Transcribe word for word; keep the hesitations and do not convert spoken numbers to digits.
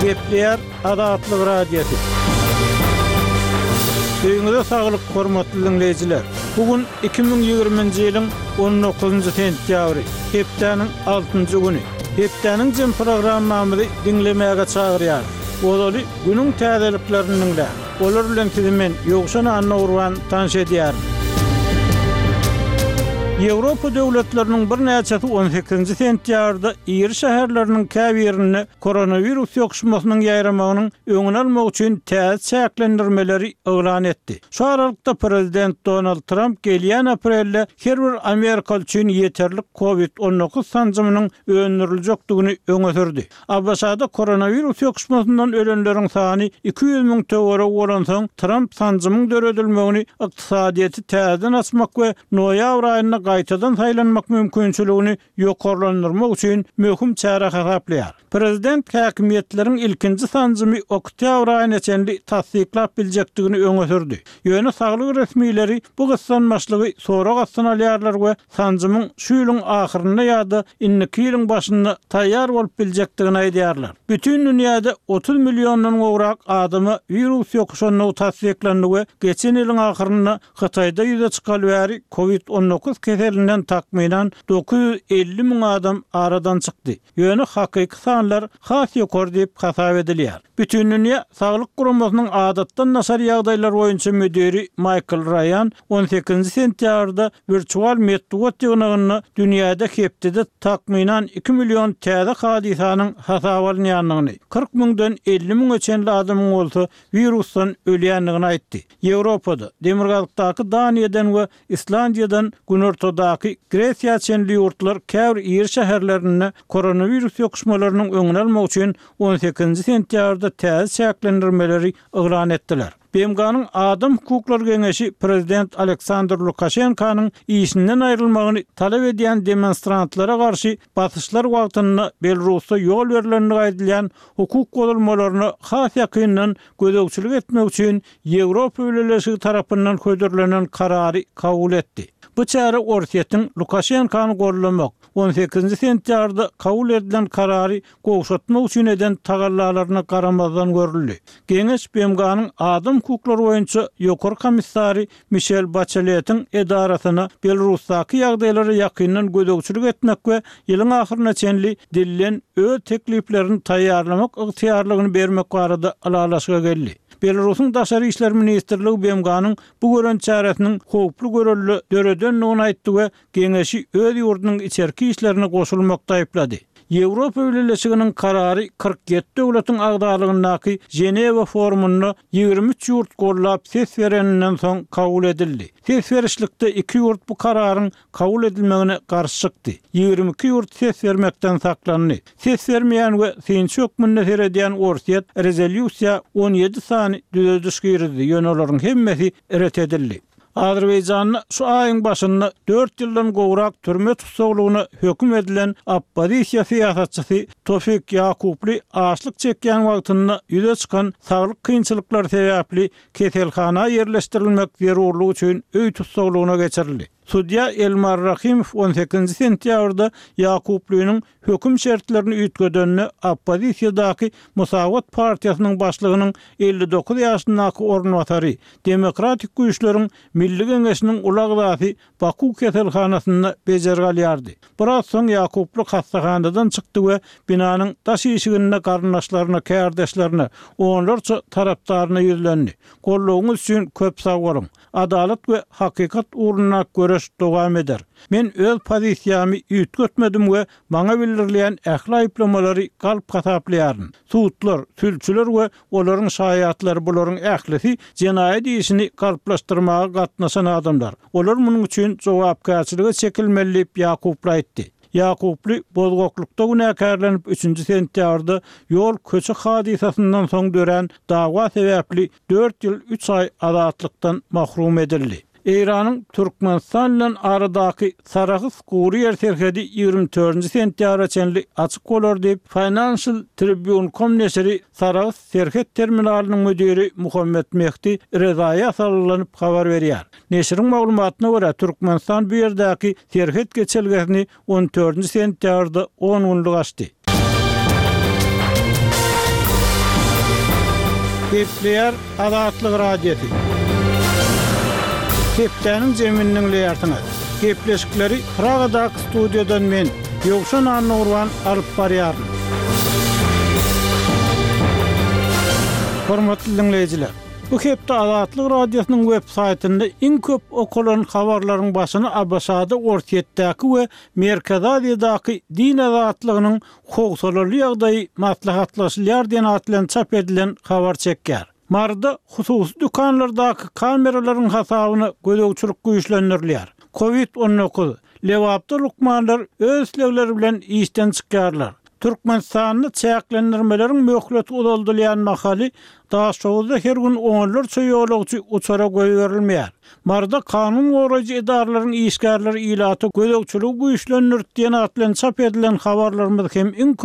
Gepleýär Azatlyk Radiosy. Öýüňize saglyk, hormatly diňleýjiler! Bu gün iki müň ýigriminji ýylyň on dokuzynjy sentýabry, hepdäniň altynjy güni. Hepdäniň jem programmamyzy diňlemäge çagyrýarys. Ozaly günüň täzeliklerini diňläň. Olar bilen sizi men, Ýowşan Annagurban, tanyş edýärin. Ýewropa döwletleriniň birnäçesi on sekizinji sentýabrda iri şäherleriniň käbirinde koronawirus ýokuşmasynyň ýaýramagynyň öňüni almak üçin täze çäklendirmeleri yglan etdi. Şu aralykda prezident Donald Tramp gelýän aprelde her bir amerikaly üçin ýeterlik covid on dokuz sanjymynyň öndüriljekdigini öňe sürdi. ABŞ-da koronawirus ýokuşmasyndan ölenleriň sany iki ýüz müň töweregi bolansoň, Tramp sanjymyň döredilmegini ykdysadyýeti täzeden açmak we noýabr aýynda gaýtadan saýlanmak mümkinçiligini ýokarlandyrmak üçin möhüm çäre hasaplaýar. Prezident häkimiýetleriň ilkinji sanjymy oktýabr aýyna çenli tassyklap biljekdigini öňe sürdi. Ýöne saglyk resmileri bu gyssanmaçlygy sorag astyna alýarlar we sanjymyň şu ýylyň ahyrynda ýa-da indiki ýylyň başynda taýýar bolup biljekdigini aýdýarlar. Bütin dünýäde otuz milliondan gowrak adama wirus ýokuşandygy tassyklandy we geçen ýylyň ahyrynda Hytaýda ýüze çykaly bäri covid on dokuz keselinden takmynan dokuz ýüz elli müň adam aradan çykdy. Ýöne hakyky sanlar has ýokary diýip hasap edilýär. Bütindünýä Saglyk Guramasynyň adatdan daşary ýagdaýlar boýunça müdiri Maýkl Raýan on sekizinji sentýabrda wirtual metbugat ýygnagynda dünýäde hepdede takmynan iki million täze hadysanyň hasaba alynýandygyny, kyrk müňden elli müňe çenli adamyň bolsa wirusdan ölýändigini aýtdy. Ýewropada, demirgazykdaky Daniýadan we Islandiýadan günortadaky Gresiýa çenli ýurtlar käbir iri şäherlerinde koronawirus ýokuşmalarynyň öňüni almak üçin on sekizinji sentýabrda täze çäklendirmeleri yglan etdiler. B M G-nyň Adam hukuklary geňeşi prezident Aleksandr Lukaşenkanyň işinden aýrylmagyny talap edýän demonstrantlara garşy basyşlar wagtynda Belarusda ýol berlendigi aýdylýan hukuk bozulmalaryna has ýakyndan gözegçilik etmek üçin Ýewropa Bileleşigi tarapyndan hödürlenen karary kabul etdi. Bu çäre Orsýetiň Lukaşenkany gollamak, on sekizinji sentýabrda kabul edilen karary gowşatmak üçin eden tagallalaryna garamazdan görüldi. Geňeş B M G-nyň Adam hukuklary boýunça ýokary komissary Mişel Baçeletiň edarasyna Belarusdaky ýagdaýlara ýakyndan gözegçilik etmek we ýylyň ahyryna çenli dilden öz tekliplerini taýýarlamak ygtyýarlygyny bermek barada ylalaşyga geldi. Belarusyň Daşary işler ministrligi B M G-nyň bu gören çäresiniň howply görelde döredendigini aýtdy we geňeşi öz ýurdunyň içerki işlerine goşulmakda aýyplady. Ýewropa Bileleşiginiň karary kyrk ýedi döwletiň agzalygyndaky Ženewa forumynda ýigrimi üç ýurt gollap ses bereninden soň kabul edildi. Ses berişlikde iki ýurt bu kararyň kabul edilmegine garşy çykdy. Ýigrimi iki ýurt ses bermekden saklandy. Ses bermeýän we synçy hökmünde seredýän Orsýet rezolýusiýa on ýedi sany düzediş girizdi, ýöne olaryň hemmesi ret edildi. Azerbaýjanda şu aýyň başynda dört ýyldan gowrak türme tussaglygyna höküm edilen oppozisiýa syýasatçysy Tofik Ýakuply açlyk çekýän wagtynda ýüze çykan saglyk kynçylyklary sebäpli keselhana ýerleşdirilmek zerurlygy üçin öý tussaglygyna geçirildi. Sudýa Elmar Rahimow on sekizinji sentýabrda Ýakuplynyň höküm şertlerini üýtgedende oppozisiýadaky Musawat partiýasynyň başlygynyň elli dokuz ýaşyndaky orunbasary, Demokratik güýçleriň Milli Geňeşiniň uly agzasy Baku keselhanasynda bejergi alýardy. Biraz soň Ýakuply hassahanadan çykdy we binanyň daş işiginde garyndaşlaryna, kärdeşlerine, onlarça tarapdaryna ýüzlendi. Goldawyňyz üçin köp sag boluň. Adalat we hakykat ugrundaky göreş dowam eder. Men öz pozisiýamy üýtgetmedim we maňa bildirilýän ähli aýyplamalary galp hasaplaýaryn. Sudlar, sülçüler we olaryň şaýatlary bularyň ählisi jenaýat işini galplaşdyrmaga gatnaşan adamlar. Olar munuň üçin jogapkärçilige çekilmeli diýip Ýakuply aýtdy. Ýakuply bozgaklykda günäkärlenip üçünji sentýabrda ýol köçe hadysasyndan soň dörän dawa sebäpli dört ýyl üç aý azatlykdan mahrum edildi. Eýranyň Türkmenistan bilen aradaky Sarahs gury ýer serhedi ýigrimi dördünji sentýabra çenli açyk bolar diýip, Financial Tribune com neşiri Sarahs serhet terminalynyň müdiri Muhammet Mehdi Rezaýa salgylanyp habar berýär. Neşiriň maglumatyna görä, Türkmenistan bu ýerdäki serhet geçelgesini on dördünji sentýabrda on günlük açdy. Gepleýär Azatlyk Radiosy. Hepdäniň jemini diňleýärsiňiz. Gepleşikleri Pragadaky studiýadan men, Ýowşan Annagurban alyp barýaryn. Hormatly diňleýjiler, bu hepde Azatlyk Radiosynyň web saýtynda iň köp okalan habarlaryň başyny ABŞ-da, Orsýetdäki we Merkezi Aziýadaky din azatlygynyň howsalaly ýagdaýy maslahatlaşylýar diýen at bilen çap edilen habar çekýär. Maryda hususy dükanlardaky kameralaryň hasabyna gözegçilik güýçlendirilýär. Covid on dokuz, Lebapda lukmanlar öz islegleri bilen işden çykýarlar. Türkmenistanda çäklendirmeleriň möhleti uzaldylýan mahaly Daşoguzda her gün onlarça ýolagçy uçara goýberilmeýär. Maryda kanun goraýjy edaralaryň işgärleri ilata gözegçiligi güýçlendirdi diýen at bilen çap edilen habarlarymyz hem iň köp